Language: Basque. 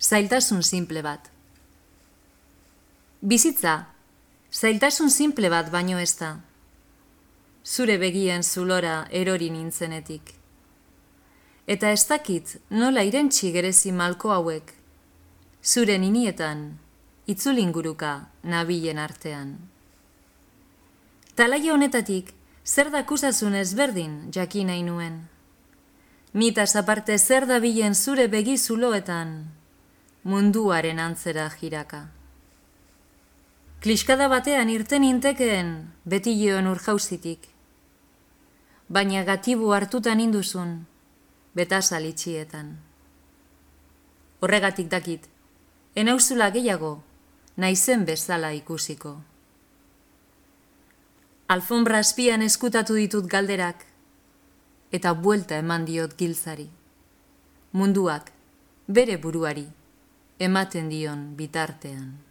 zailtasun simple bat. Bizitza, zailtasun simple bat baino ez da. Zure begien zulora erori nintzenetik. Eta ez dakit nola irentsi gerezi malko hauek, zure ninietan, itzulinguruka nabilen artean. Talaia honetatik, zer dakusazun ezberdin jakin nahi nuen. Nitaz aparte zer dabilen zure begi zuloetan, munduaren antzera jiraka. Kliskada batean irten intekeen beti joan urjauzitik. Baina gatibu hartutan induzun, betazal itxietan. Horregatik dakit, enauzula gehiago, naizen bezala ikusiko. Alfombra azpian eskutatu ditut galderak, eta buelta eman diot giltzari. Munduak, bere buruari, ematen dion bitartean.